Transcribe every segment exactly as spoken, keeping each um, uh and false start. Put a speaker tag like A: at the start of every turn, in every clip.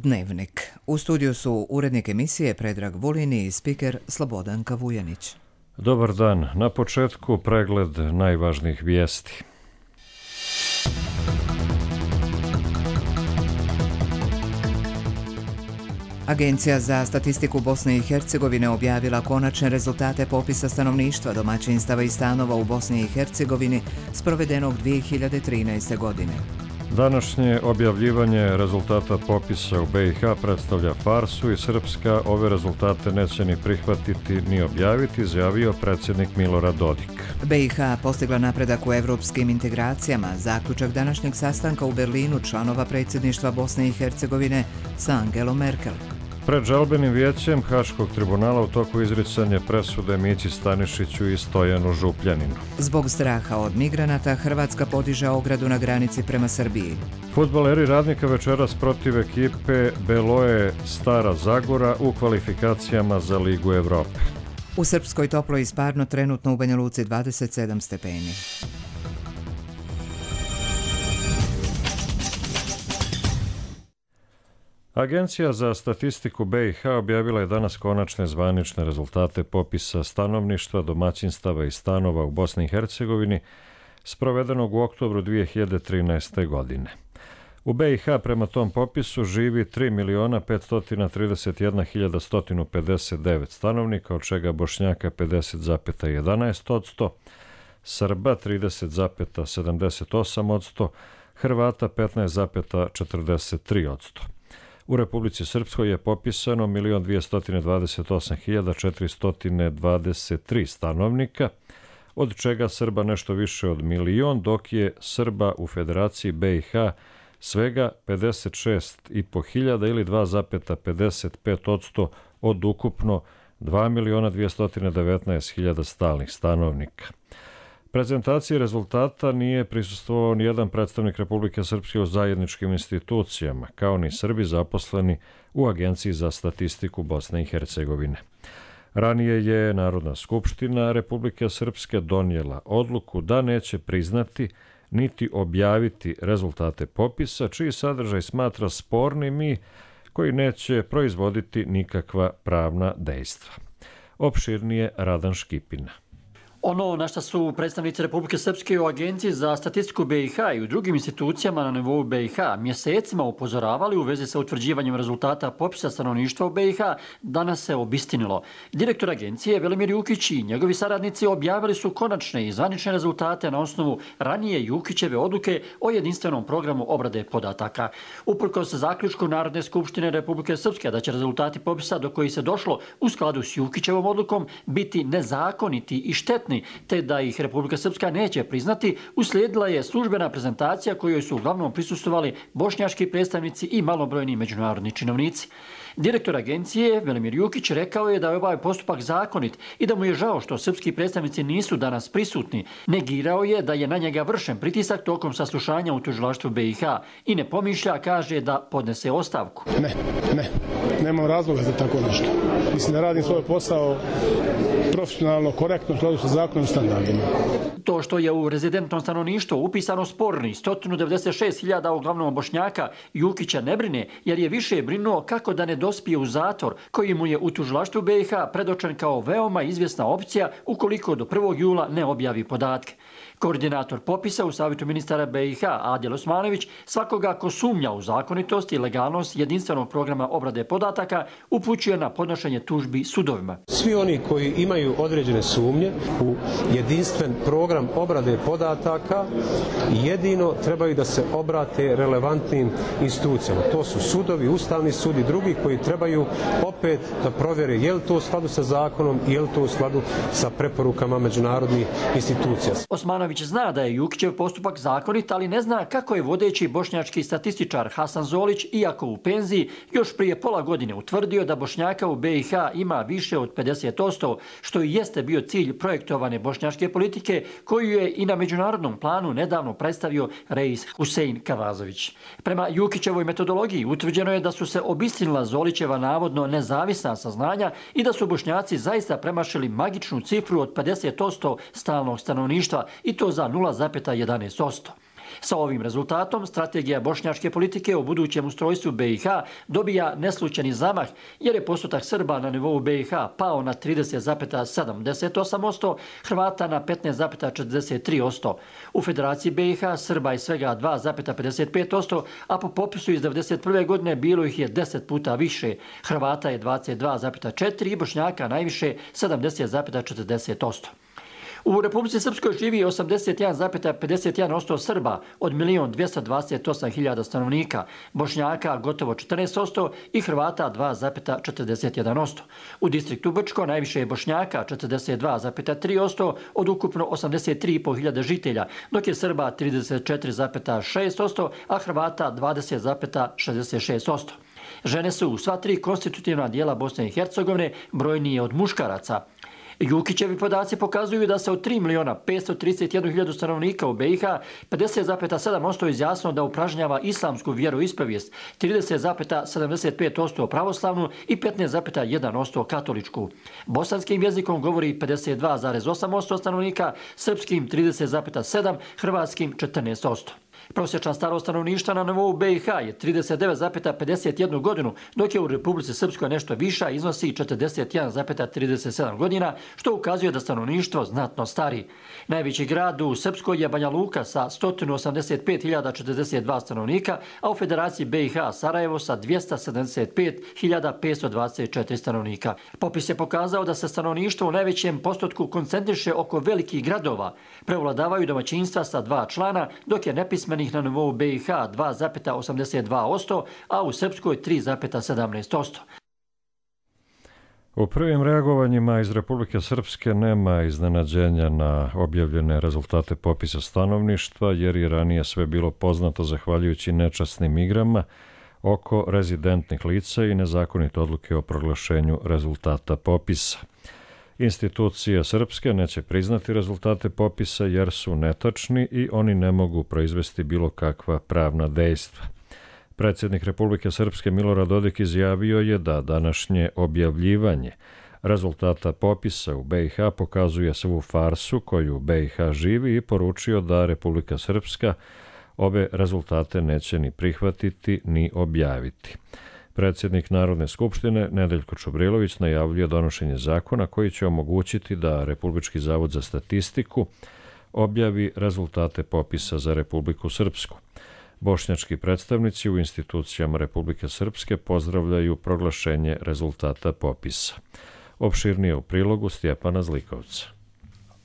A: Dnevnik. U studiju su urednik emisije Predrag Vulin i spiker Slobodanka Vujanić.
B: Dobar dan. Na početku pregled najvažnijih vijesti.
A: Agencija za statistiku Bosne i Hercegovine objavila konačne rezultate popisa stanovništva, domaćinstava i stanova u Bosni i Hercegovini sprovedenog dvije hiljade trinaeste. godine.
B: Današnje objavljivanje rezultata popisa u B i H predstavlja farsu i Srpska ove rezultate neće ni prihvatiti ni objaviti, izjavio predsjednik Milorad Dodik.
A: B i H postigla napredak u evropskim integracijama. Zaključak današnjeg sastanka u Berlinu članova predsjedništva Bosne i Hercegovine sa Angelom Merkel.
B: Pred žalbenim vijećem Haškog tribunala u toku izricanja presude Mići Stanišiću i Stojanu Župljaninu.
A: Zbog straha od migranata, Hrvatska podiže ogradu na granici prema Srbiji.
B: Fudbaleri Radnika večeras protiv ekipe Beloe Stara Zagora u kvalifikacijama za Ligu Evrope.
A: U Srpskoj toplo i sparno, trenutno u Banja Luci dvadeset sedam stepeni.
B: Agencija za statistiku B i H objavila je danas konačne zvanične rezultate popisa stanovništva, domaćinstava i stanova u Bosni i Hercegovini sprovedenog u oktobru dvije hiljade trinaeste. godine. U B i H prema tom popisu živi tri miliona petsto trideset jedna hiljada sto pedeset devet stanovnika, od čega Bošnjaka pedeset zarez jedanaest posto, Srba trideset zarez sedamdeset osam posto, Hrvata petnaest zarez četrdeset tri posto. U Republici Srpskoj je popisano milion dvjesto dvadeset osam hiljada četiristo dvadeset tri stanovnika, od čega Srba nešto više od milion, dok je Srba u Federaciji B i H svega pedeset šest i po hiljada ili dva zarez pedeset pet posto od ukupno dva miliona dvjesto devetnaest hiljada stalnih stanovnika. Prezentaciji rezultata nije prisustvovao nijedan predstavnik Republike Srpske u zajedničkim institucijama, kao ni Srbi zaposleni u Agenciji za statistiku Bosne i Hercegovine. Ranije je Narodna skupština Republike Srpske donijela odluku da neće priznati niti objaviti rezultate popisa, čiji sadržaj smatra spornim i koji neće proizvoditi nikakva pravna dejstva. Opširnije Radan Škipina.
C: Ono na što su predstavnici Republike Srpske u Agenciji za statistiku B i H i u drugim institucijama na nivou B i H mjesecima upozoravali u vezi sa utvrđivanjem rezultata popisa stanovništva u B i H, danas se obistinilo. Direktor agencije Velimir Jukić i njegovi saradnici objavili su konačne i zvanične rezultate na osnovu ranije Jukićeve odluke o jedinstvenom programu obrade podataka. Uprkos zaključku Narodne skupštine Republike Srpske da će rezultati popisa do kojih se došlo u skladu s Jukićevom odlukom biti nezakoniti i štetni, te da ih Republika Srpska neće priznati, uslijedila je službena prezentacija kojoj su uglavnom prisustvovali bošnjački predstavnici i malobrojni međunarodni činovnici. Direktor agencije Velimir Jukić rekao je da je ovaj postupak zakonit i da mu je žao što srpski predstavnici nisu danas prisutni. Negirao je da je na njega vršen pritisak tokom saslušanja u tužilaštvu B i H i ne pomišlja, kaže, da podnese ostavku.
D: Ne, ne, nemam razloga za tako nešto. Mislim da radim svoj posao profesionalno, korektno, u skladu sa zakonom i standardima.
C: To što je u rezidentnom stanovništvu upisano sporni sto devedeset šest hiljada uglavnom Bošnjaka, Jukića ne brine, jer je više brinuo kako da ne dospije u zatvor, koji mu je u tužilaštvu B i H predočen kao veoma izvjesna opcija ukoliko do prvog jula ne objavi podatke. Koordinator popisa u Savjetu ministara B i H, Adil Osmanović, svakoga ko sumnja u zakonitost i legalnost jedinstvenog programa obrade podataka upućuje na podnošenje tužbi sudovima.
E: Svi oni koji imaju određene sumnje u jedinstven program obrade podataka jedino trebaju da se obrate relevantnim institucijama. To su sudovi, Ustavni sud i drugi koji trebaju opet da provjere je li to u skladu sa zakonom i je li to u skladu sa preporukama međunarodnih institucija.
C: Osmanović zna da je Jukićev postupak zakonit, ali ne zna kako je vodeći bošnjački statističar Hasan Zolić, iako u penziji, još prije pola godine utvrdio da Bošnjaka u B i H ima više od pedeset posto, što i jeste bio cilj projektovane bošnjačke politike, koju je i na međunarodnom planu nedavno predstavio Reis Husein Kavazović. Prema Jukićevoj metodologiji utvrđeno je da su se obistinila Zolićeva navodno nezavisna saznanja i da su Bošnjaci zaista premašili magičnu cifru od pedeset posto stalnog stanovništva, i to za nula zarez jedanaest posto. Sa ovim rezultatom strategija bošnjačke politike o budućem ustrojstvu B i H dobija neslučajni zamah jer je postotak Srba na nivou B i H pao na trideset zarez sedamdeset osam posto, Hrvata na petnaest zarez četrdeset tri posto. U Federaciji B i H Srba je svega dva zarez pedeset pet posto, a po popisu iz devedeset prve godine bilo ih je deset puta više. Hrvata je dvadeset dva zarez četiri i Bošnjaka najviše sedamdeset zarez četrdeset posto. U Republici Srpskoj živi osamdeset jedan zarez pedeset jedan posto Srba od milion dvjesto dvadeset osam hiljada stanovnika, Bošnjaka gotovo četrnaest posto i Hrvata dva zarez četrdeset jedan posto. U distriktu Brčko najviše je Bošnjaka četrdeset dva zarez tri posto od ukupno osamdeset tri i pol hiljade žitelja, dok je Srba trideset četiri zarez šest posto, a Hrvata dvadeset zarez šezdeset šest posto. Žene su u sva tri konstitutivna dijela Bosne i Hercegovine brojnije od muškaraca. Jukićevi podaci pokazuju da se od tri miliona petsto trideset jednu hiljadu stanovnika u B i H pedeset zarez sedam posto izjasnilo da upražnjava islamsku vjeroispovijest, trideset zarez sedamdeset pet posto pravoslavnu i petnaest zarez jedan posto katoličku. Bosanskim jezikom govori pedeset dva zarez osam posto stanovnika, srpskim trideset zarez sedam posto, hrvatskim četrnaest posto. Prosječna starost stanovništva na nivou B i H je trideset devet zarez pedeset jednu godinu, dok je u Republici Srpskoj nešto viša, iznosi četrdeset jedan zarez trideset sedam godina, što ukazuje da stanovništvo znatno stari. Najveći grad u Srpskoj je Banja Luka sa sto osamdeset pet hiljada četrdeset dva stanovnika, a u Federaciji B i H Sarajevo sa dvjesto sedamdeset pet hiljada petsto dvadeset četiri stanovnika. Popis je pokazao da se stanovništvo u najvećem postotku koncentriše oko velikih gradova. Prevladavaju domaćinstva sa dva člana, dok je nepismenih na nivou B i H dva zarez osamdeset dva posto, a u Srpskoj tri zarez sedamnaest posto.
B: U prvim reagovanjima iz Republike Srpske nema iznenađenja na objavljene rezultate popisa stanovništva, jer je ranije sve bilo poznato zahvaljujući nečasnim igrama oko rezidentnih lica i nezakonite odluke o proglašenju rezultata popisa. Institucije srpske neće priznati rezultate popisa jer su netačni i oni ne mogu proizvesti bilo kakva pravna dejstva. Predsjednik Republike Srpske Milorad Dodik izjavio je da današnje objavljivanje rezultata popisa u B i H pokazuje svu farsu koju B i H živi i poručio da Republika Srpska ove rezultate neće ni prihvatiti ni objaviti. Predsjednik Narodne skupštine Nedeljko Čubrilović najavljuje donošenje zakona koji će omogućiti da Republički zavod za statistiku objavi rezultate popisa za Republiku Srpsku. Bošnjački predstavnici u institucijama Republike Srpske pozdravljaju proglašenje rezultata popisa. Opširnije u prilogu Stjepana Zlikovca.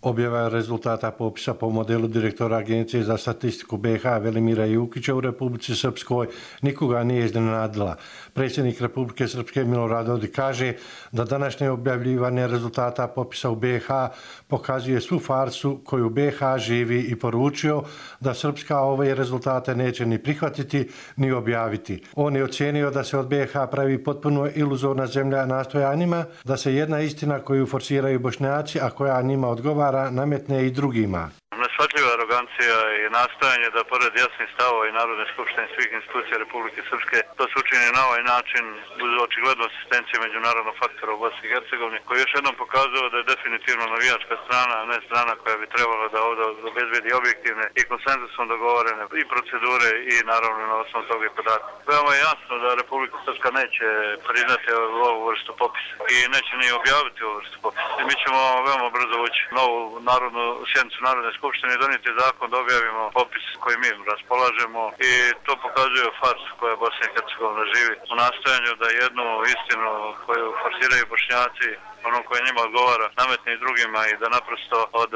F: Objava rezultata popisa po modelu direktora Agencije za statistiku B i H Velimira Jukića u Republici Srpskoj nikoga nije iznenadila. Predsjednik Republike Srpske Milorad Dodik kaže da današnje objavljivanje rezultata popisa u B i H pokazuje svu farsu koju B i H živi i poručio da Srpska ove rezultate neće ni prihvatiti ni objaviti. On je ocijenio da se od B i H pravi potpuno iluzorna zemlja nastojanjima, da se jedna istina koju forsiraju Bošnjaci, a koja njima odgovara, nametne i drugima.
G: Neshvatljiva arogancija i nastojanje da pored jasnih stavova i Narodne skupštine svih institucija Republike Srpske to se učini na ovaj način uz očiglednu asistenciju međunarodnog faktora u Bosni i Hercegovini, koji još jednom pokazao da je definitivno navijačka strana, a ne strana koja bi trebala da ovdje obezbedi objektivne i konsenzusom dogovorene i procedure i naravno na osnovu toga i podatka. Veoma je jasno da Republika Srpska neće priznati ovu vrstu popisa i neće ni objaviti ovu vrstu popisa. I mi ćemo veoma brzo ući novu narodnu sjednicu Narodne skupštine i donijeti zakon da objavimo popis koji mi raspolažemo i to pokazuje farsu koja Bosna i Hercegovina živi u nastojanju da jednu istinu koju forsiraju Bošnjaci, ono koje njima odgovara, nametne i drugima i da naprosto od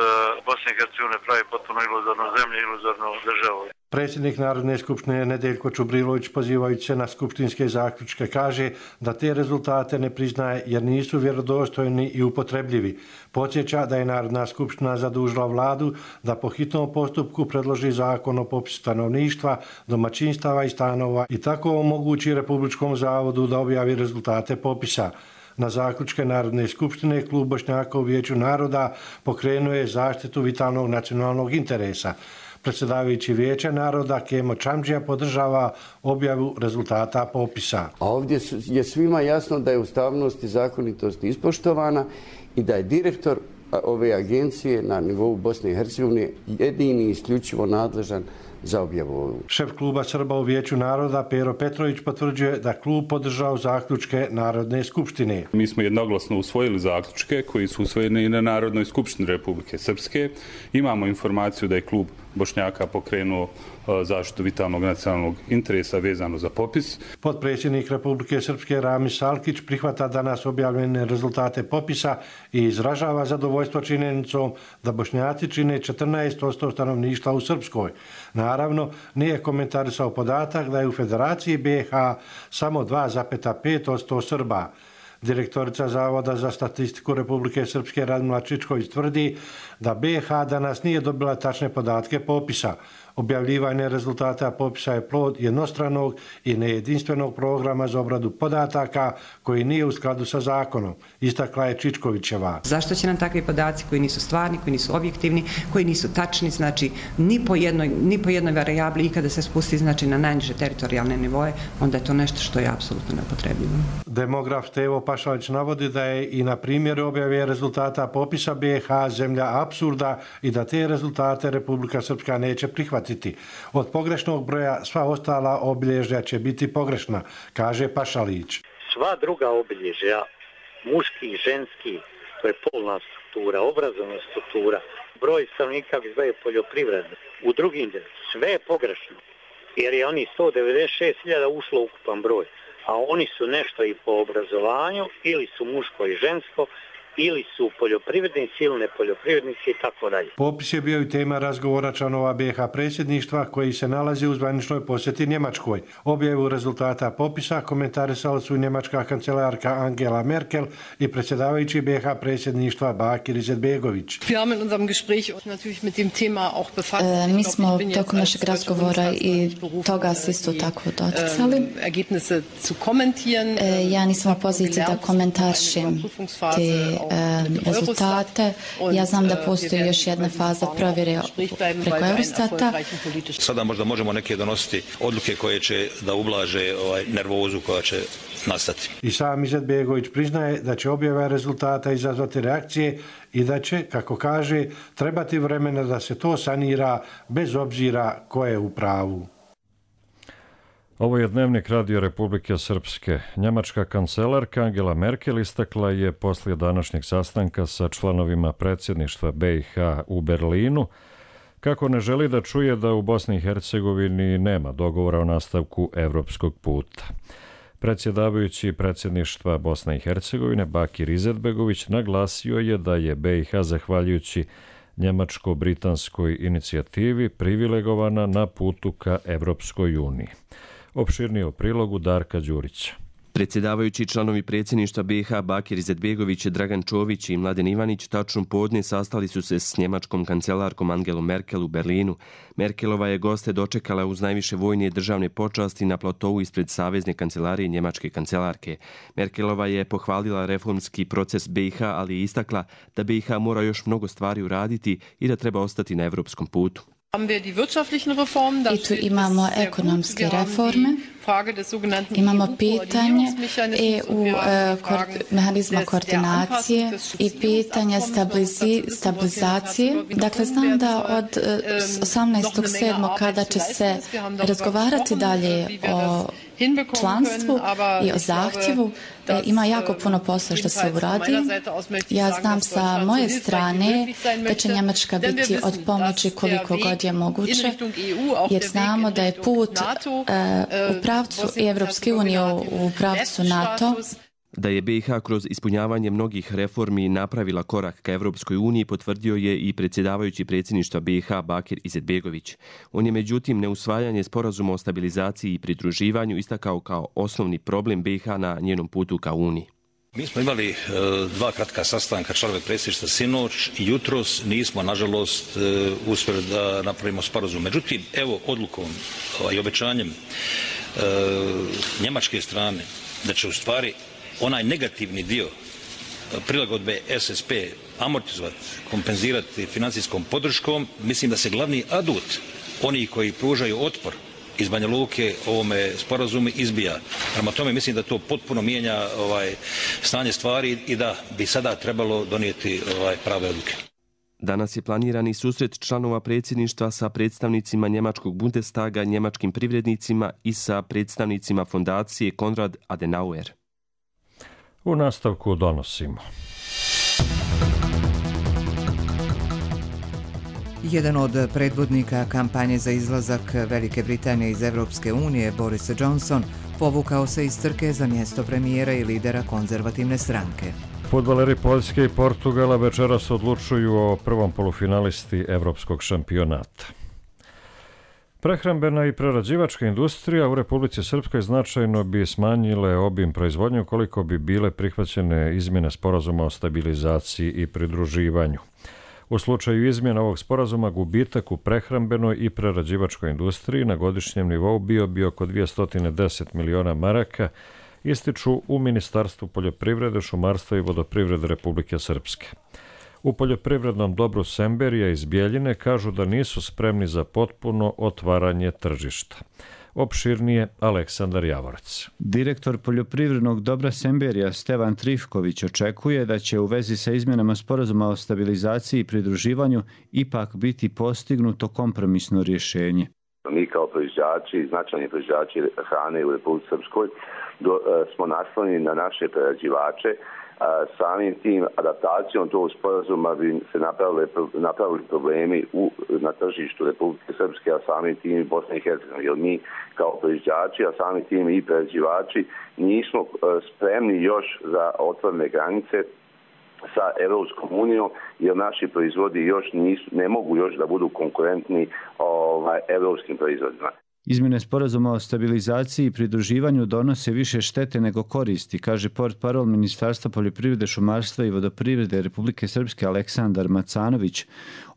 G: Bosne i Hercegovine pravi potpuno iluzornu zemlju, iluzornu državu.
F: Predsjednik Narodne skupštine Nedeljko Čubrilović, pozivajući se na skupštinske zaključke, kaže da te rezultate ne priznaje jer nisu vjerodostojni i upotrebljivi. Podsjeća da je Narodna skupština zadužila vladu da po hitnom postupku predloži zakon o popisu stanovništva, domaćinstava i stanova i tako omogući Republičkom zavodu da objavi rezultate popisa. Na zaključke Narodne skupštine Klub Bošnjaka u Vijeću naroda pokrenuo je zaštitu vitalnog nacionalnog interesa. Predsjedavajući Vijeća naroda Kemo Čamđija podržava objavu rezultata popisa.
H: A ovdje je svima jasno da je ustavnost i zakonitost ispoštovana i da je direktor ove agencije na nivou Bosne i Hercegovine jedini i isključivo nadležan za objavu.
F: Šef kluba Srba u Vijeću naroda Pero Petrović potvrđuje da klub podržao zaključke Narodne skupštine.
I: Mi smo jednoglasno usvojili zaključke koji su usvojeni i na Narodnoj skupštini Republike Srpske. Imamo informaciju da je klub Bošnjaka pokrenuo zaštitu vitalnog nacionalnog interesa vezano za popis.
F: Potpredsjednik Republike Srpske Ramis Salkić prihvata danas objavljene rezultate popisa i izražava zadovoljstvo činjenicom da Bošnjaci čine četrnaest posto stanovništva u Srpskoj. Naravno, nije komentarisao podatak da je u Federaciji B i H samo dva zarez pet posto Srba. Direktorica Zavoda za statistiku Republike Srpske Radmila Čičković tvrdi da B i H danas nije dobila tačne podatke popisa. Objavljivanje rezultata popisa je plod jednostranog i nejedinstvenog programa za obradu podataka koji nije u skladu sa zakonom, istakla je Čičkovićeva.
J: Zašto će nam takvi podaci koji nisu stvarni, koji nisu objektivni, koji nisu tačni, znači ni po jednoj, ni po jednoj varijabli i kada se spusti znači na najniže teritorijalne nivoje, onda je to nešto što je apsolutno nepotrebljivo.
F: Demograf Stevo Pašalić navodi da je i na primjeru objave rezultata popisa B i H zemlja apsurda i da te rezultate Republika Srpska neće prihvatiti. Od pogrešnog broja sva ostala obilježja će biti pogrešna, kaže Pašalić.
K: Sva druga obilježja, muški i ženski, to je polna struktura, obrazovna struktura, broj stanovnika je poljoprivredno. U drugim sve je pogrešno, jer je oni sto devedeset šest hiljada ušlo ukupan broj, a oni su nešto i po obrazovanju, ili su muško i žensko, ili su poljoprivrednici ili nepoljoprivrednici i tako dalje.
F: Popis je bio i tema razgovora članova B i H predsjedništva koji se nalazi u zvaničnoj posjeti Njemačkoj. Objavu rezultata popisa komentarisali su njemačka kancelarka Angela Merkel i predsjedavajući B i H predsjedništva Bakir Izetbegović.
L: Mi smo tokom našeg razgovora i toga se isto tako doticali. Ja nisam u poziciji da komentarišem te rezultate. Ja znam da postoji još jedna faza provjere preko Eurostata.
M: Sada možda možemo neke donositi odluke koje će da ublaže ovaj nervozu koja će nastati.
F: I sam Izetbegović priznaje da će objava rezultata izazvati reakcije i da će, kako kaže, trebati vremena da se to sanira bez obzira ko je u pravu.
B: Ovo je dnevnik Radio Republike Srpske. Njemačka kancelarka Angela Merkel istakla je poslije današnjeg sastanka sa članovima predsjedništva B i H u Berlinu kako ne želi da čuje da u Bosni i Hercegovini nema dogovora o nastavku evropskog puta. Predsjedavajući predsjedništva Bosne i Hercegovine Bakir Izetbegović naglasio je da je B i H zahvaljujući njemačko-britanskoj inicijativi privilegovana na putu ka Evropskoj uniji. Opširnije o prilogu Darka Đurića.
N: Predsjedavajući članovi predsjedništva B i H Bakir Izetbegović, Dragan Čović i Mladen Ivanić tačno podne sastali su se s njemačkom kancelarkom Angelom Merkel u Berlinu. Merkelova je goste dočekala uz najviše vojne i državne počasti na platovu ispred Savezne kancelarije njemačke kancelarke. Merkelova je pohvalila reformski proces B i H, ali je istakla da B i H mora još mnogo stvari uraditi i da treba ostati na evropskom putu.
L: I tu imamo ekonomske reforme, imamo pitanje E U mehanizma koordinacije i pitanje stabilizacije. Dakle, znam da od osamnaestog sedmog kada će se razgovarati dalje o članstvu i o zahtjevu, ima jako puno posla što se uradi. Ja znam sa moje strane da će Njemačka biti od pomoći koliko god je moguće, jer znamo da je put u pravcu Evropske unije, u pravcu NATO.
N: Da je B i H kroz ispunjavanje mnogih reformi napravila korak ka Evropskoj uniji potvrdio je i predsjedavajući predsjedništva B i H Bakir Izetbegović. On je međutim neusvajanje sporazuma o stabilizaciji i pridruživanju istakao kao osnovni problem B i H na njenom putu ka Uniji.
M: Mi smo imali e, dva kratka sastanka članove predsjedništva sinoć i jutros, nismo nažalost e, uspjeli da napravimo sporazum. Međutim, evo odlukom ovaj, i obećanjem e, njemačke strane da će u stvari onaj negativni dio prilagodbe S S P amortizovati, kompenzirati financijskom podrškom, mislim da se glavni adut oni koji pružaju otpor iz Banja Luke ovome sporazumu izbija. Prema tome mislim da to potpuno mijenja ovaj, stanje stvari i da bi sada trebalo donijeti ovaj, prave odluke.
N: Danas je planirani susret članova predsjedništva sa predstavnicima njemačkog Bundestaga, njemačkim privrednicima i sa predstavnicima fondacije Konrad Adenauer.
B: U nastavku donosimo.
A: Jedan od predvodnika kampanje za izlazak Velike Britanije iz Evropske unije, Boris Johnson, povukao se iz trke za mjesto premijera i lidera konzervativne stranke.
B: Fudbaleri Poljske i Portugala večeras odlučuju o prvom polufinalisti Evropskog šampionata. Prehrambena i prerađivačka industrija u Republici Srpskoj značajno bi smanjile obim proizvodnje ukoliko bi bile prihvaćene izmjene sporazuma o stabilizaciji i pridruživanju. U slučaju izmjena ovog sporazuma gubitak u prehrambenoj i prerađivačkoj industriji na godišnjem nivou bio bi oko dvjesto deset miliona maraka, ističu u Ministarstvu poljoprivrede, šumarstva i vodoprivrede Republike Srpske. U poljoprivrednom dobru Semberija iz Bjeljine kažu da nisu spremni za potpuno otvaranje tržišta. Opširnije Aleksandar Javorac.
O: Direktor poljoprivrednog dobra Semberija Stevan Trifković očekuje da će u vezi sa izmjenama sporazuma o stabilizaciji i pridruživanju ipak biti postignuto kompromisno rješenje.
P: Mi kao proizvođači, značajni proizvođači hrane u Republici Srpskoj do, smo naslonjeni na naše prerađivače. Samim tim adaptacijom tog sporazuma bi se napravili, napravili problemi u, na tržištu Republike Srpske, a samim tim i Bosne i Hercegovine. Jer mi kao proizvođači, a samim tim i prerađivači nismo spremni još za otvorene granice sa Evropskom unijom, jer naši proizvodi još nisu, ne mogu još da budu konkurentni ovaj, evropskim proizvodima.
O: Izmjene sporazuma o stabilizaciji i pridruživanju donose više štete nego koristi, kaže portparol Ministarstva poljoprivrede, šumarstva i vodoprivrede Republike Srpske Aleksandar Macanović.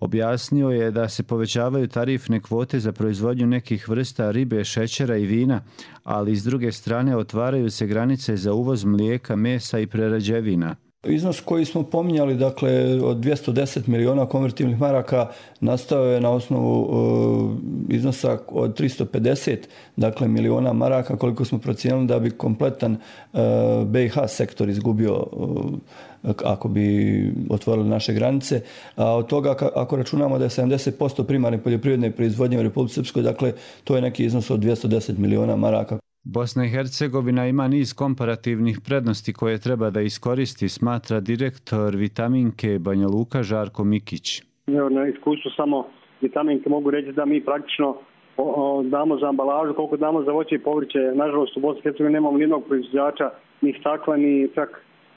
O: Objasnio je da se povećavaju tarifne kvote za proizvodnju nekih vrsta ribe, šećera i vina, ali s druge strane otvaraju se granice za uvoz mlijeka, mesa i prerađevina.
Q: Iznos koji smo pominjali, dakle, od dvjesto deset miliona konvertibilnih maraka nastao je na osnovu uh, iznosa od tristo pedeset dakle, miliona maraka, koliko smo procijenili da bi kompletan uh, B i H sektor izgubio uh, ako bi otvorili naše granice. A od toga, ako računamo da je sedamdeset posto primarne poljoprivredne proizvodnje u Republici Srpskoj, dakle, to je neki iznos od dvjesto deset miliona maraka.
O: Bosna i Hercegovina ima niz komparativnih prednosti koje treba da iskoristi, smatra direktor Vitaminke Banja Luka Žarko Mikić.
R: Na iskustvu samo Vitaminke mogu reći da mi praktično o, o, damo za ambalažu koliko damo za voće i povrće. Nažalost u Bosni i Hercegovini nemamo ni jednog proizvođača, ni stakla, ni čak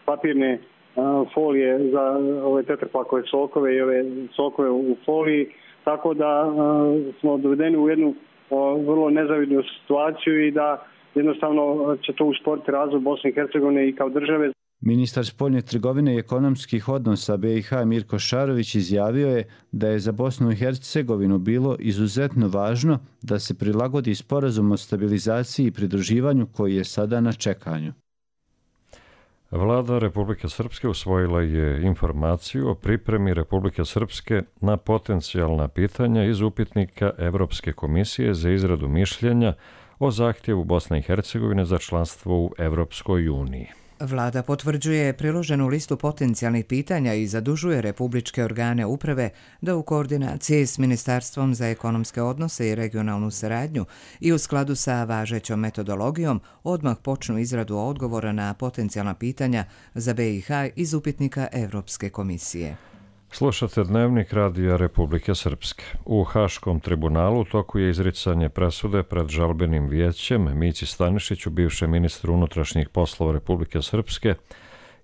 R: papirne a, folije za ove tetrapakove sokove i ove sokove u foliji. Tako da a, smo dovedeni u jednu a, vrlo nezavidnu situaciju i da jednostavno će to usporiti razvoj Bosne i Hercegovine i kao države.
O: Ministar spoljne trgovine i ekonomskih odnosa B i H Mirko Šarović izjavio je da je za Bosnu i Hercegovinu bilo izuzetno važno da se prilagodi sporazum o stabilizaciji i pridruživanju koji je sada na čekanju.
B: Vlada Republike Srpske usvojila je informaciju o pripremi Republike Srpske na potencijalna pitanja iz upitnika Evropske komisije za izradu mišljenja o zahtjevu Bosne i Hercegovine za članstvo u Evropskoj uniji.
A: Vlada potvrđuje priloženu listu potencijalnih pitanja i zadužuje republičke organe uprave da u koordinaciji s Ministarstvom za ekonomske odnose i regionalnu saradnju i u skladu sa važećom metodologijom odmah počnu izradu odgovora na potencijalna pitanja za B i H iz upitnika Evropske komisije.
B: Slušate Dnevnik Radija Republike Srpske. U Haškom tribunalu u toku je izricanje presude pred žalbenim vijećem Mići Stanišiću, bivšem ministru unutrašnjih poslova Republike Srpske,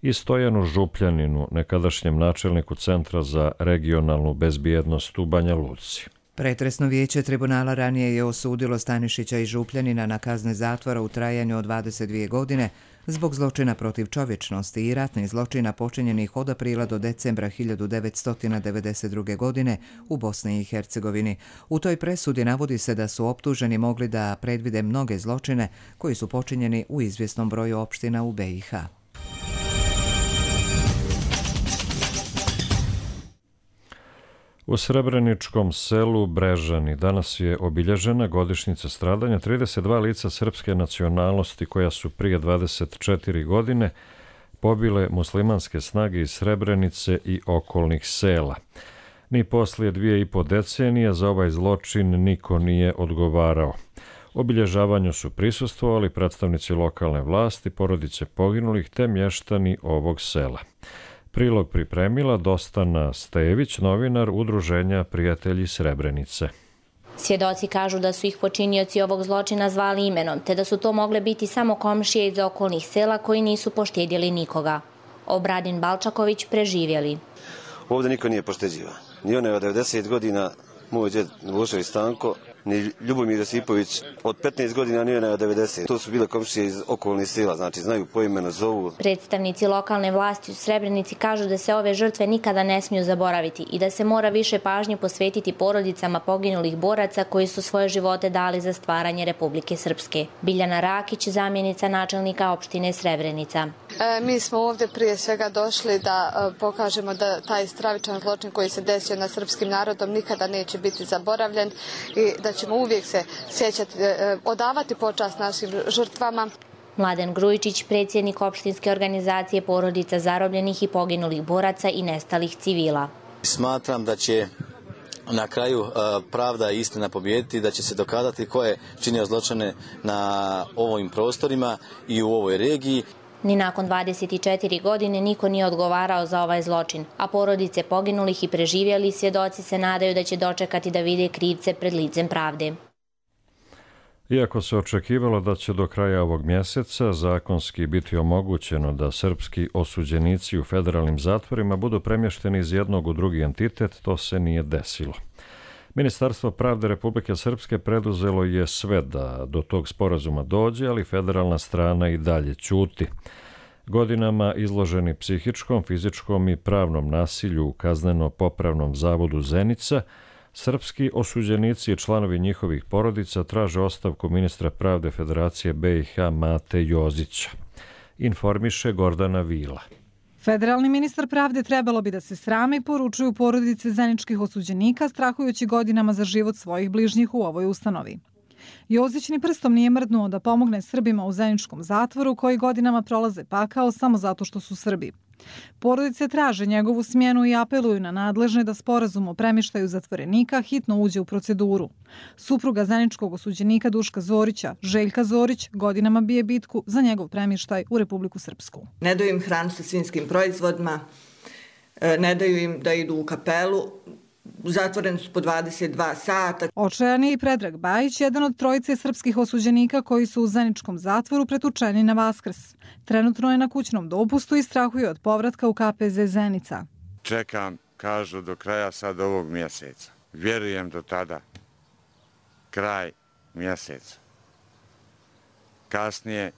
B: i Stojanu Župljaninu, nekadašnjem načelniku Centra za regionalnu bezbjednost u Banja Luci.
A: Pretresno vijeće tribunala ranije je osudilo Stanišića i Župljanina na kazne zatvora u trajanju od dvadeset dvije godine zbog zločina protiv čovječnosti i ratnih zločina počinjenih od aprila do decembra hiljadu devetsto devedeset druge. godine u Bosni i Hercegovini. U toj presudi navodi se da su optuženi mogli da predvide mnoge zločine koji su počinjeni u izvjesnom broju opština u B i H.
B: U srebreničkom selu Brežani danas je obilježena godišnjica stradanja trideset dva lica srpske nacionalnosti koja su prije dvadeset četiri godine pobile muslimanske snage iz Srebrenice i okolnih sela. Ni poslije dvije i po decenije za ovaj zločin niko nije odgovarao. Obilježavanju su prisustvovali predstavnici lokalne vlasti, porodice poginulih te mještani ovog sela. Prilog pripremila Dostana Stević, novinar Udruženja Prijatelji Srebrenice.
S: Svjedoci kažu da su ih počinioci ovog zločina zvali imenom, te da su to mogle biti samo komšije iz okolnih sela koji nisu poštedjeli nikoga. Obradin Balčaković preživjeli.
T: Ovdje niko nije pošteđivan. Ni one od devedeset godina, moj djed Vušević Stanko, ni Ljubomir Josipović od petnaest godina, ni one od devedeset. To su bile komšije iz okolnih sela, znači znaju po imenu, zovu.
S: Predstavnici lokalne vlasti u Srebrenici kažu da se ove žrtve nikada ne smiju zaboraviti i da se mora više pažnje posvetiti porodicama poginulih boraca koji su svoje živote dali za stvaranje Republike Srpske. Biljana Rakić, zamjenica načelnika opštine Srebrenica.
U: E, mi smo ovdje prije svega došli da e, pokažemo da taj stravičan zločin koji se desio nad srpskim narodom nikada neće biti zaboravljen i da ćemo uvijek se sjećati, e, odavati počast našim žrtvama.
S: Mladen Grujičić, predsjednik opštinske organizacije porodica zarobljenih i poginulih boraca i nestalih civila.
V: Smatram da će na kraju pravda i istina pobijediti, da će se dokazati ko je činio zločine na ovim prostorima i u ovoj regiji.
S: Ni nakon dvadeset četiri godine niko nije odgovarao za ovaj zločin, a porodice poginulih i preživjeli svjedoci se nadaju da će dočekati da vide krivce pred licem pravde.
B: Iako se očekivalo da će do kraja ovog mjeseca zakonski biti omogućeno da srpski osuđenici u federalnim zatvorima budu premješteni iz jednog u drugi entitet, to se nije desilo. Ministarstvo pravde Republike Srpske preduzelo je sve da do tog sporazuma dođe, ali federalna strana i dalje ćuti. Godinama izloženi psihičkom, fizičkom i pravnom nasilju u kazneno-popravnom zavodu Zenica, srpski osuđenici i članovi njihovih porodica traže ostavku ministra pravde Federacije be i ha Mate Jozića. Informiše Gordana Vila.
W: Federalni ministar pravde trebalo bi da se srame, poručuju porodice zeničkih osuđenika, strahujući godinama za život svojih bližnjih u ovoj ustanovi. Jozić ni prstom nije mrdnuo da pomogne Srbima u zeničkom zatvoru koji godinama prolaze pakao samo zato što su Srbi. Porodice traže njegovu smjenu i apeluju na nadležne da sporazum o premještaju zatvorenika hitno uđe u proceduru. Supruga zeničkog osuđenika Duška Zorića, Željka Zorić, godinama bije bitku za njegov premještaj u Republiku Srpsku.
X: Ne daju im hranu sa svinjskim proizvodima, ne daju im da idu u kapelu, zatvoreni su po dvadeset dva sata.
W: Očajani i Predrag Bajić, jedan od trojice srpskih osuđenika koji su u zeničkom zatvoru pretučeni na Vaskrs. Trenutno je na kućnom dopustu i strahuje od povratka u ka pe ze Zenica.
Y: Čekam, kažu, do kraja sad ovog mjeseca. Vjerujem do tada. Kraj mjeseca. Kasnije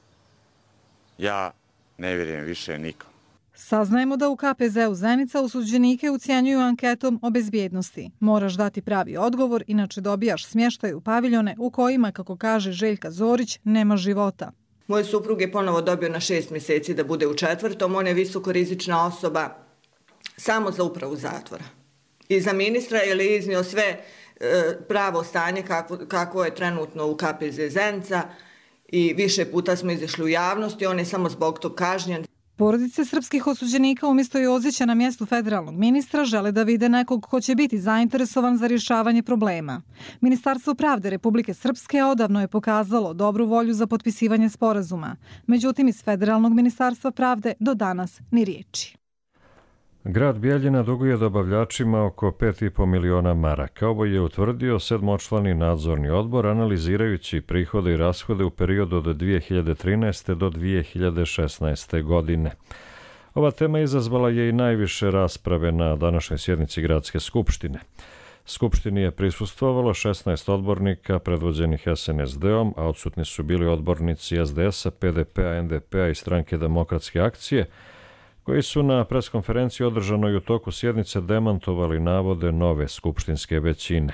Y: ja ne vjerujem više nikom.
W: Saznajemo da u ka pe zeu Zenica osuđenike ucijenjuju anketom o bezbjednosti. Moraš dati pravi odgovor, inače dobijaš smještaj u paviljone u kojima, kako kaže Željka Zorić, nema života.
X: Moj suprug je ponovo dobio na šest mjeseci da bude u četvrtom. On je visokorizična osoba samo za upravu zatvora. I za ministra je li iznio sve e, pravo stanje kako, kako je trenutno u ka pe ze Zenica i više puta smo izašli u javnosti, on je samo zbog tog kažnjen.
W: Porodice srpskih osuđenika umjesto Jozića na mjestu federalnog ministra žele da vide nekog ko će biti zainteresovan za rješavanje problema. Ministarstvo pravde Republike Srpske odavno je pokazalo dobru volju za potpisivanje sporazuma. Međutim, iz Federalnog ministarstva pravde do danas ni riječi.
B: Grad Bijeljina duguje dobavljačima oko pet i po miliona maraka. Ovo je utvrdio sedmočlani nadzorni odbor analizirajući prihode i rashode u periodu od dvije hiljade trinaeste. do dvije hiljade šesnaeste. godine. Ova tema izazvala je i najviše rasprave na današnjoj sjednici Gradske skupštine. Skupštini je prisustvovalo šesnaest odbornika predvođenih es en es de-om, a odsutni su bili odbornici es de es-a, pe de pe-a, en de pe-a i Stranke demokratske akcije, koji su na preskonferenciji održanoj u toku sjednice demantovali navode nove skupštinske većine.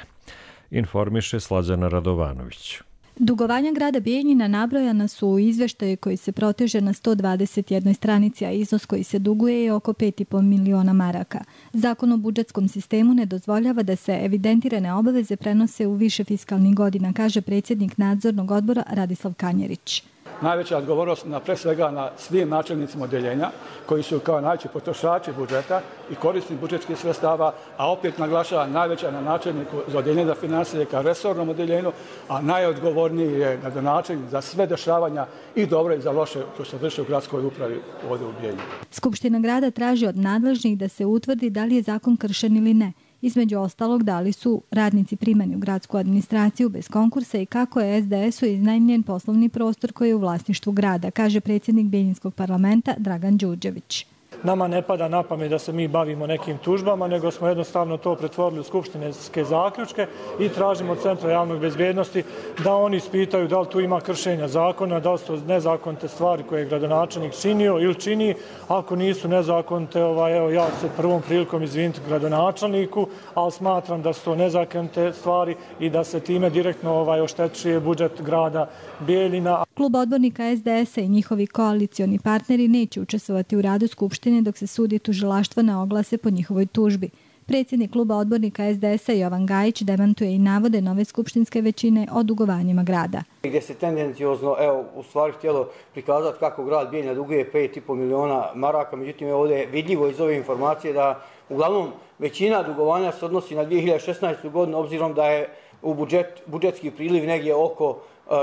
B: Informiše Slađana Radovanović.
Z: Dugovanja grada Bijeljina nabrojana su u izvještaju koji se proteže na sto dvadeset jednoj stranici, a iznos koji se duguje je oko pet i po miliona maraka. Zakon o budžetskom sistemu ne dozvoljava da se evidentirane obaveze prenose u više fiskalnih godina, kaže predsjednik nadzornog odbora Radislav Kanjerić.
C: najveća odgovornost na pre svega na svim načelnicima odjeljenja koji su kao najveći potrošači budžeta i korisni budžetskih sredstava, a opet naglašava najveća na načelniku za odjeljenje za financije kao resornom odjeljenju, a najodgovorniji je gradonačelnik za sve dešavanja i dobro i za loše koje se vrše u gradskoj upravi ovdje u Bijeljini.
Z: Skupština grada traži od nadležnih da se utvrdi da li je zakon kršen ili ne. Između ostalog, da li su radnici primani u gradsku administraciju bez konkursa i kako je es de esu iznajmljen poslovni prostor koji je u vlasništvu grada, kaže predsjednik Bijeljinskog parlamenta Dragan Đurđević.
D: Nama ne pada na pamet da se mi bavimo nekim tužbama, nego smo jednostavno to pretvorili u skupštinske zaključke i tražimo od Centra javnog bezbjednosti da oni ispitaju da li tu ima kršenja zakona, da li su nezakonite stvari koje je gradonačelnik činio ili čini. Ako nisu nezakonite, ovaj, evo, ja se prvom prilikom izviniti gradonačelniku, ali smatram da su to nezakonite stvari i da se time direktno ovaj, oštećuje budžet grada Bijeljina.
Z: Klub odbornika es de esa i njihovi koalicioni partneri neće učestvovati u radu Skupštine dok se sudi tužilaštvo na oglase po njihovoj tužbi. Predsjednik kluba odbornika es de esa Jovan Gajić demantuje i navode nove skupštinske većine o dugovanjima grada.
E: Gdje se tendenciozno, evo, u stvari htjelo prikazati kako grad Bijeljina duguje pet i pol miliona maraka, međutim ovdje je vidljivo iz ove informacije da uglavnom većina dugovanja se odnosi na dvije hiljade šesnaestu. godinu, obzirom da je u budžet, budžetski priliv negdje oko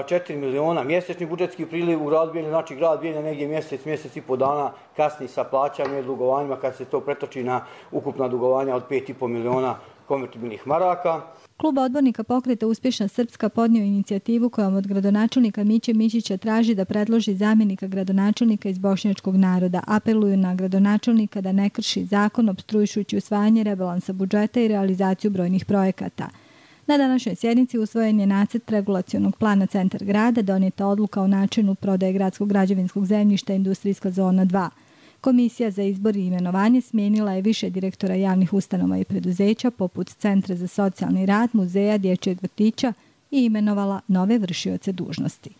E: četiri miliona mjesečni budžetski priliv u gradu Bijeljina, znači grad Bijeljina negdje mjesec, mjesec i po dana kasni sa plaćanjem i dugovanjima kad se to pretoči na ukupna dugovanja od pet i pol miliona konvertibilnih maraka.
Z: Klub odbornika Pokreta Uspješna Srpska podnio inicijativu kojom od gradonačelnika Miće Mićića traži da predloži zamjenika gradonačelnika iz bošnjačkog naroda. Apeluju na gradonačelnika da ne krši zakon opstrujujući usvajanje rebalansa budžeta i realizaciju brojnih projekata. Na današnjoj sjednici usvojen je nacrt regulacionog plana Centar grada, donijeta odluka o načinu prodaje gradskog građevinskog zemljišta Industrijska zona dva. Komisija za izbor i imenovanje smijenila je više direktora javnih ustanova i preduzeća, poput Centra za socijalni rad, muzeja, dječjeg vrtića i imenovala nove vršioce dužnosti.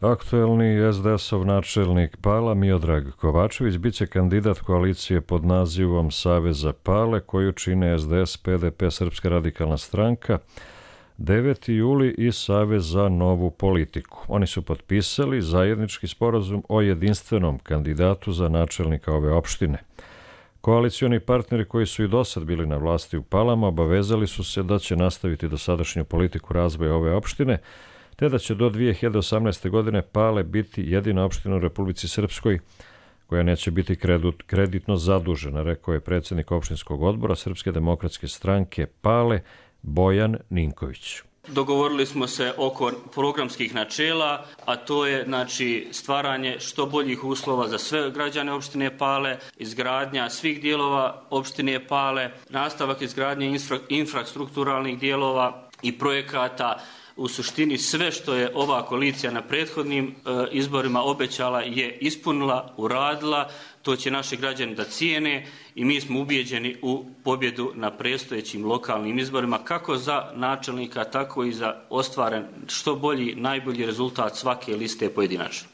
B: Aktuelni es de esov načelnik Pala Miodrag Kovačević biće kandidat koalicije pod nazivom Saveza Pale koju čine es de es, pe de pe, Srpska radikalna stranka, deveti juli i Savez za novu politiku. Oni su potpisali zajednički sporazum o jedinstvenom kandidatu za načelnika ove opštine. Koalicioni partneri koji su i dosad bili na vlasti u Palama obavezali su se da će nastaviti dosadašnju politiku razvoja ove opštine, te da će do dvije hiljade osamnaeste. godine Pale biti jedina opština u Republici Srpskoj koja neće biti kreditno zadužena, rekao je predsjednik opštinskog odbora Srpske demokratske stranke Pale Bojan Ninković.
G: Dogovorili smo se oko programskih načela, a to je znači stvaranje što boljih uslova za sve građane opštine Pale, izgradnja svih dijelova opštine Pale, nastavak izgradnje infra, infrastrukturalnih dijelova i projekata. U suštini sve što je ova koalicija na prethodnim e, izborima obećala je ispunila, uradila, to će naši građani da cijene i mi smo ubijeđeni u pobjedu na predstojećim lokalnim izborima, kako za načelnika, tako i za ostvaren što bolji, najbolji rezultat svake liste pojedinačno.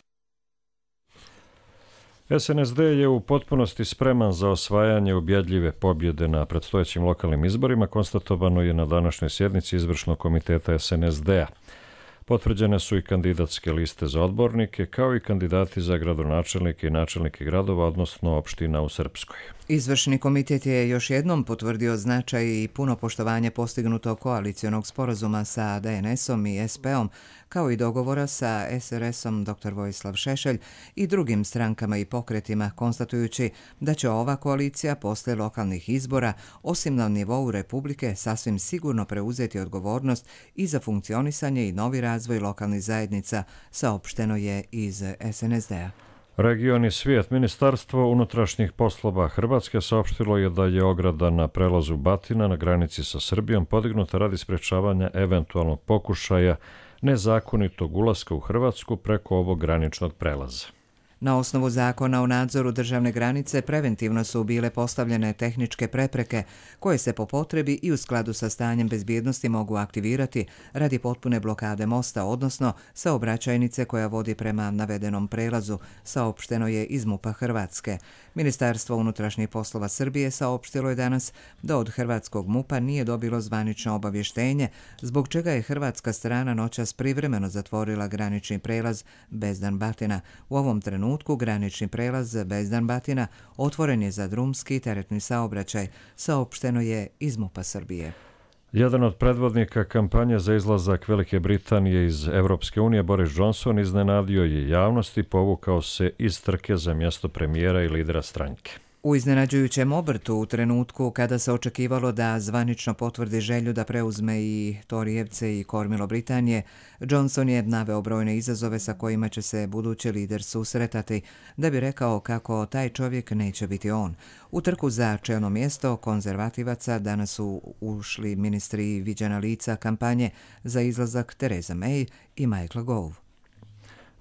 B: es en es de je u potpunosti spreman za osvajanje ubjedljive pobjede na predstojećim lokalnim izborima, konstatovano je na današnjoj sjednici izvršnog komiteta es en es de a. Potvrđene su i kandidatske liste za odbornike, kao i kandidati za gradonačelnike i načelnike gradova, odnosno opština u Srpskoj.
A: Izvršni komitet je još jednom potvrdio značaj i puno poštovanje postignutog koalicionog sporazuma sa de en esom i es pe-om, kao i dogovora sa es er esom doktor Vojislav Šešelj i drugim strankama i pokretima, konstatujući da će ova koalicija posle lokalnih izbora, osim na nivou Republike, sasvim sigurno preuzeti odgovornost i za funkcionisanje i novi razvoj lokalnih zajednica, saopšteno je iz es en es de a.
B: Region i svijet. Ministarstvo unutrašnjih poslova Hrvatske saopštilo je da je ograda na prelazu Batina na granici sa Srbijom podignuta radi sprečavanja eventualnog pokušaja nezakonitog ulaska u Hrvatsku preko ovog graničnog prelaza.
A: Na osnovu zakona o nadzoru državne granice preventivno su bile postavljene tehničke prepreke koje se po potrebi i u skladu sa stanjem bezbjednosti mogu aktivirati radi potpune blokade mosta, odnosno saobraćajnice koja vodi prema navedenom prelazu, saopšteno je iz MUP-a Hrvatske. Ministarstvo unutrašnjih poslova Srbije saopštilo je danas da od hrvatskog MUP-a nije dobilo zvanično obavještenje, zbog čega je hrvatska strana noćas privremeno zatvorila granični prelaz Bezdan-Batina. U ovom trenutku granični prelaz Bezdan-Batina otvoren je za drumski i teretni saobraćaj, saopšteno je iz MUP-a Srbije.
B: Jedan od predvodnika kampanje za izlazak Velike Britanije iz Evropske unije, Boris Johnson, iznenadio je javnost i povukao se iz trke za mjesto premijera i lidera stranke.
A: U iznenađujućem obrtu u trenutku kada se očekivalo da zvanično potvrdi želju da preuzme i Torijevce i kormilo Britanije, Johnson je naveo brojne izazove sa kojima će se budući lider susretati, da bi rekao kako taj čovjek neće biti on. U trku za čelno mjesto konzervativaca danas su ušli ministri viđena lica kampanje za izlazak Theresa May i Michael Gove.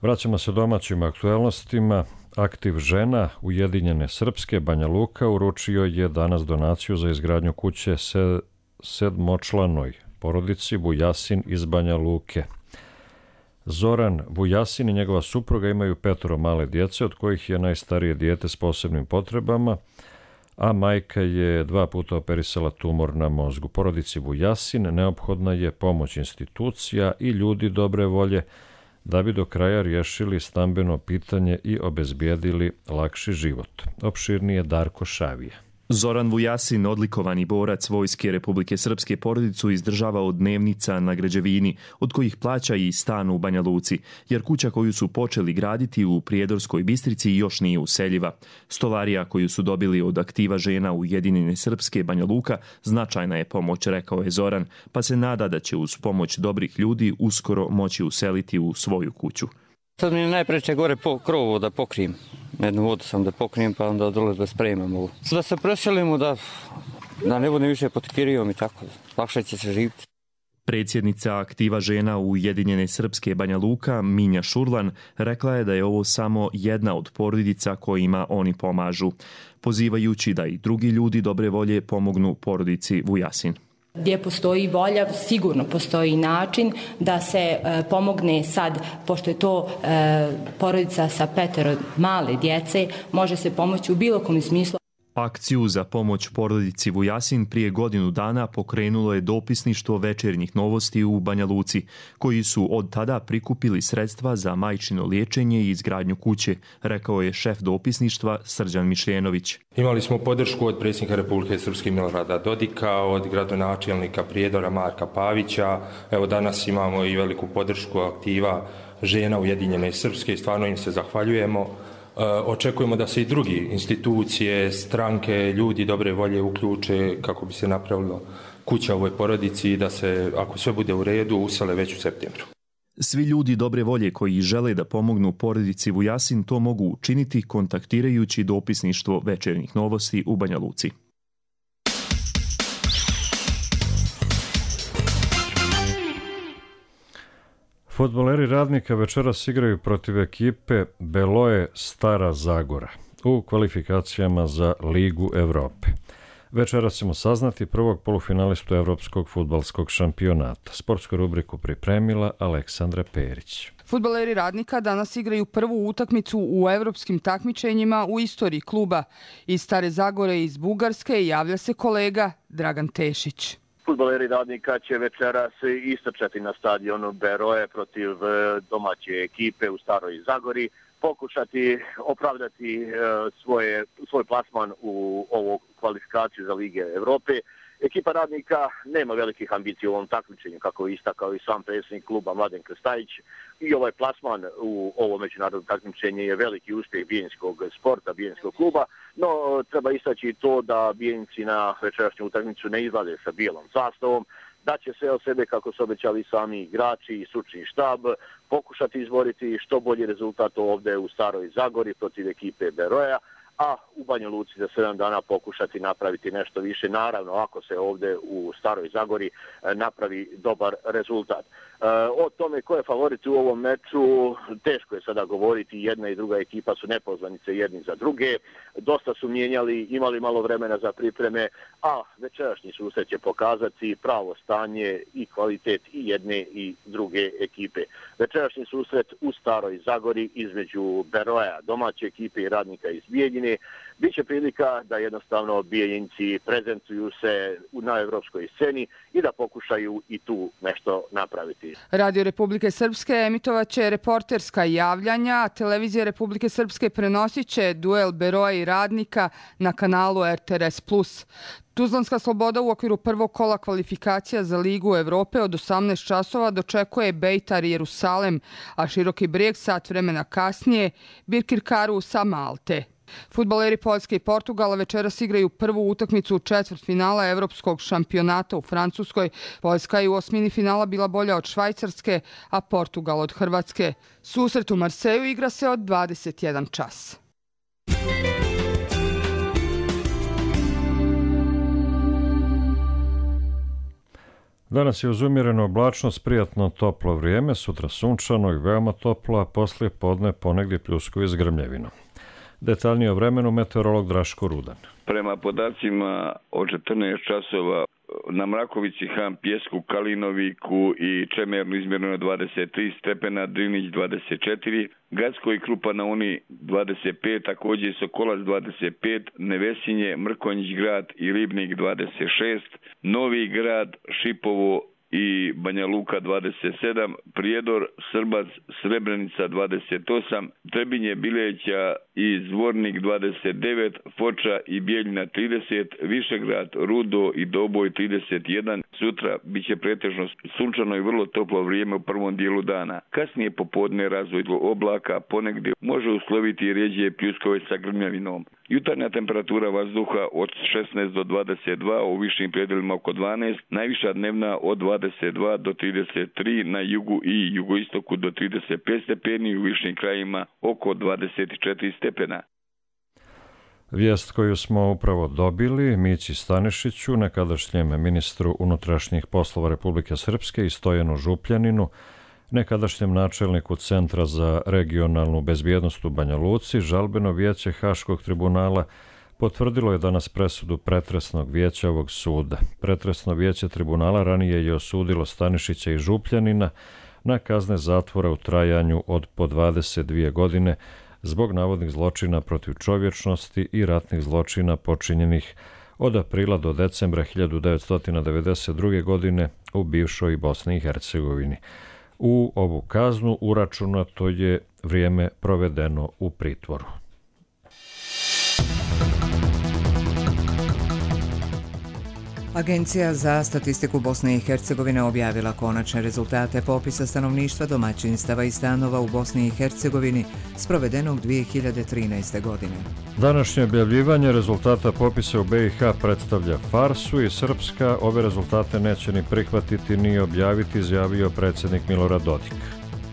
B: Vraćamo se domaćim aktualnostima. Aktiv žena Ujedinjene Srpske Banja Luka uručio je danas donaciju za izgradnju kuće sedmočlanoj porodici Vujasin iz Banja Luke. Zoran Vujasin i njegova supruga imaju petoro male djece, od kojih je najstarije dijete s posebnim potrebama, a majka je dva puta operisala tumor na mozgu. Porodici Vujasin neophodna je pomoć institucija i ljudi dobre volje da bi do kraja riješili stambeno pitanje i obezbijedili lakši život. Opširnije Darko Šavija.
F: Zoran Vujasin, odlikovani borac Vojske Republike Srpske, porodicu izdržava od dnevnica na građevini, od kojih plaća i stan u Banja Luci, jer kuća koju su počeli graditi u Prijedorskoj Bistrici još nije useljiva. Stolarija koju su dobili od aktiva žena Ujedinjene Srpske Banja Luka značajna je pomoć, rekao je Zoran, pa se nada da će uz pomoć dobrih ljudi uskoro moći useliti u svoju kuću.
H: Sad mi je najpreče gore po krovu da pokrijem. Jednu vodu sam da pokrijem, pa onda dole da spremam ovo. Da se preselimo, da, da ne budem više pod kirijom i tako. Lakše će se živjeti.
F: Predsjednica aktiva žena Ujedinjene Srpske Banja Luka, Minja Šurlan, rekla je da je ovo samo jedna od porodica kojima oni pomažu, pozivajući da i drugi ljudi dobre volje pomognu porodici Vujasin.
I: Gdje postoji volja, sigurno postoji način da se e, pomogne sad, pošto je to e, porodica sa petero male djece, može se pomoći u bilo kom smislu.
F: Akciju za pomoć porodici Vujasin prije godinu dana pokrenulo je dopisništvo Večernjih novosti u Banja Luci, koji su od tada prikupili sredstva za majčino liječenje i izgradnju kuće, rekao je šef dopisništva Srđan Mišljenović.
J: Imali smo podršku od predsjednika Republike Srpske Milorada Dodika, od gradonačelnika Prijedora Marka Pavića. Evo danas imamo i veliku podršku aktiva žena Ujedinjene Srpske, stvarno im se zahvaljujemo. Očekujemo da se i drugi institucije, stranke, ljudi dobre volje uključe kako bi se napravilo kuća ovoj porodici i da se, ako sve bude u redu, usele već u septembru.
F: Svi ljudi dobre volje koji žele da pomognu porodici Vujasin to mogu učiniti kontaktirajući dopisništvo Večernjih novosti u Banja Luci.
B: Fudbaleri Radnika večeras igraju protiv ekipe Beloe Stara Zagora u kvalifikacijama za Ligu Evrope. Večeras ćemo saznati prvog polufinalistu Evropskog fudbalskog šampionata. Sportsku rubriku pripremila Aleksandra Perić.
K: Fudbaleri Radnika danas igraju prvu utakmicu u evropskim takmičenjima u istoriji kluba. Iz Stare Zagore i iz Bugarske javlja se kolega Dragan Tešić.
L: Fudbaleri Radnika će večeras istrčati na stadionu Beroe protiv domaće ekipe u Staroj Zagori, pokušati opravdati svoje, svoj plasman u ovu kvalifikaciju za Lige Evrope. Ekipa Radnika nema velikih ambicija u ovom takmičenju, kako je istakao i sam predsjednik kluba Mladen Krstajić. I ovaj plasman u ovo međunarodno takmičenje je veliki uspjeh bijeljinskog sporta, bijeljinskog kluba, no treba istaći to da Bijeljinci na večerašnju utakmicu ne izlaze sa bijelom sastavom, da će sve od sebe, kako su obećali sami igrači i stručni štab, pokušati izboriti što bolji rezultat ovdje u Staroj Zagori protiv ekipe Beroja, a u Banja Luci za sedam dana pokušati napraviti nešto više. Naravno, ako se ovdje u Staroj Zagori napravi dobar rezultat. O tome ko je favorit u ovom meču teško je sada govoriti, jedna i druga ekipa su nepoznanice jedni za druge, dosta su mijenjali, imali malo vremena za pripreme, a večerašnji susret će pokazati pravo stanje i kvalitet i jedne i druge ekipe. Večerašnji susret u Staroj Zagori između Beroja, domaće ekipe i Radnika iz Bijeljine, biće prilika da jednostavno Bijeljinci prezentuju se na evropskoj sceni i da pokušaju i tu nešto napraviti.
K: Radio Republike Srpske emitovat će reporterska javljanja, a Televizija Republike Srpske prenosit će duel Beroja i Radnika na kanalu R T R S plus. Tuzlanska Sloboda u okviru prvog kola kvalifikacija za Ligu Evrope od osamnaest časova dočekuje Beitar Jerusalem, a Široki Brijeg sat vremena kasnije Birkirkaru sa Malte. Fudbaleri Poljske i Portugala večeras igraju prvu utakmicu u četvrtfinala evropskog šampionata u Francuskoj. Poljska je u osmini finala bila bolja od Švajcarske, a Portugal od Hrvatske. Susret u Marseju igra se od dvadeset jedan čas.
B: Danas je uz umjerenu oblačnost prijatno toplo vrijeme, sutra sunčano i veoma toplo, a poslije podne ponegdje pljuskovi s grmljevinom. Detaljnije o vremenu meteorolog Draško Rudan.
M: Prema podacima od četrnaest časova na Mrakovici, Han, Pjesku, Kalinoviku i Čemernu izmjereno dvadeset tri stepena, Drinić dvadeset četiri, Gradsko i Krupa na Uni dvadeset pet, također Sokolac dvadeset pet, Nevesinje, Mrkonjić grad i Ribnik dvadeset šest, Novi grad, Šipovo i Banja Luka dvadeset sedam, Prijedor, Srbac, Srebrenica dvadeset osam, Trebinje, Bileća i Zvornik dvadeset devet, Foča i Bijeljina trideset, Višegrad, Rudo i Doboj trideset jedan. Sutra biće pretežno sunčano i vrlo toplo vrijeme u prvom dijelu dana. Kasnije popodne razvoj oblaka, ponegdje može usloviti i rjeđe pljuskove sa grmljavinom. Jutarnja temperatura vazduha od šesnaest do dvadeset dva, u višim predjelima oko dvanaest, najviša dnevna od dvadeset dva do trideset tri, na jugu i jugoistoku do trideset pet stepeni, u višim krajima oko dvadeset četiri stepena.
B: Vijest koju smo upravo dobili Mići Stanišiću, nekadašnjem ministru unutrašnjih poslova Republike Srpske i Stojanu Župljaninu, nekadašnjem načelniku Centra za regionalnu bezbjednost u Banja Luci, žalbeno vijeće Haškog tribunala potvrdilo je danas presudu pretresnog vijeća ovog suda. Pretresno vijeće tribunala ranije je osudilo Stanišića i Župljanina na kazne zatvora u trajanju od po dvadeset dvije godine zbog navodnih zločina protiv čovječnosti i ratnih zločina počinjenih od aprila do decembra hiljadu devetsto devedeset druge. godine u bivšoj Bosni i Hercegovini. U ovu kaznu uračunato je vrijeme provedeno u pritvoru.
A: Agencija za statistiku Bosne i Hercegovine objavila konačne rezultate popisa stanovništva, domaćinstava i stanova u Bosni i Hercegovini sprovedenog dvije hiljade trinaeste. godine.
B: Današnje objavljivanje rezultata popisa u B i H predstavlja farsu i Srpska ove rezultate neće ni prihvatiti ni objaviti, izjavio predsjednik Milorad Dodik.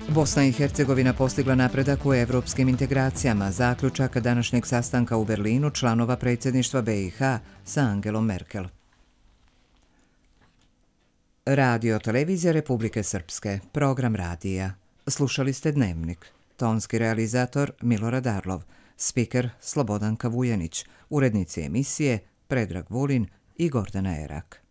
A: Bosna i Hercegovina postigla napredak u evropskim integracijama, zaključak današnjeg sastanka u Berlinu članova predsjedništva B i H sa Angelom Merkel. Radio Televizija Republike Srpske, program radija. Slušali ste Dnevnik. Tonski realizator Milorad Arlov, spiker Slobodanka Vujanić, urednici emisije Predrag Vulin i Gordana Erak.